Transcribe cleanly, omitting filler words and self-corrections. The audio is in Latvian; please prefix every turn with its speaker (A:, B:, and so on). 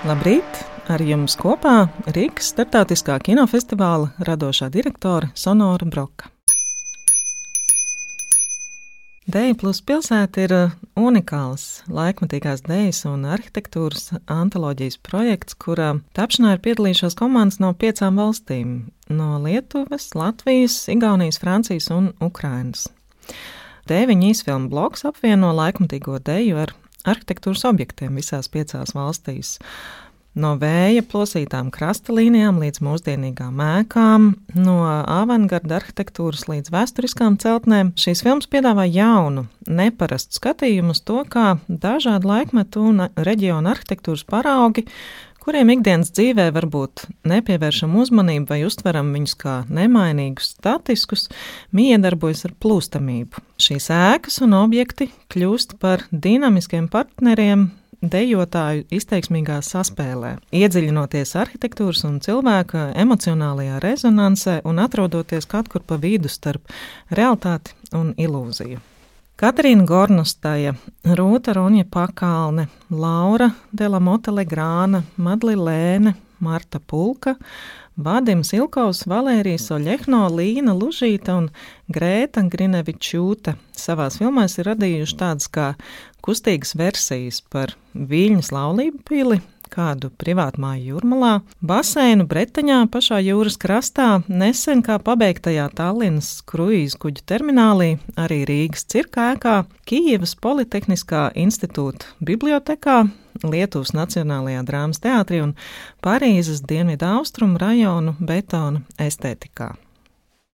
A: Labrīt! Ar jums kopā Rīgas starptautiskā kinofestivāla radošā direktore Sonora Broka. Deju plus pilsēta ir unikāls laikmatīgās dejas un arhitektūras antoloģijas projekts, kurā tapšanā ir piedalījušās komandas no 5 valstīm – no Lietuvas, Latvijas, Igaunijas, Francijas un Ukrainas. Deviņu īsfilmu bloks apvieno laikmatīgo deju ar arhitektūras objektiem visās 5 valstīs. No vēja plosītām krasta līnijām līdz mūsdienīgām ēkām, no avangarda arhitektūras līdz vēsturiskām celtnēm, šīs filmas piedāvā jaunu, neparastu skatījumu uz to, kā dažādu laikmetu un reģionu arhitektūras paraugi, kuriem ikdienas dzīvē varbūt nepievēršam uzmanību vai uztveram viņus kā nemainīgus, statiskus, miedarbojas ar plūstamību. Šīs ēkas un objekti kļūst par dinamiskiem partneriem dejotāju izteiksmīgā saspēlē, iedziļinoties arhitektūras un cilvēka emocionālajā rezonansē un atrodoties kaut kur pa vidu starp realitāti un ilūziju. Katrīna Gornostaja, Rūta Runja Pakalne, Laura Delamote Legrāna, Madli Lēne, Marta Pulka, Vadims Ilkovs, Valērija Soļehno, Līna Lužīta un Grēta Grinevičūte savās filmās ir radījuši tādas kā kustīgas versijas par Viļņas laulību pili, kādu privātmāju Jūrmalā, baseinu Bretaņā pašā jūras krastā, nesen kā pabeigtajā Tallinas kruīzu kuģu terminālī, arī Rīgas cirka ēkā, Kijevas Politehniskā institūta bibliotekā, Lietuvas Nacionālajā drāmas teātrī un Parīzes dienvidu austrumu rajonu betona estētikā.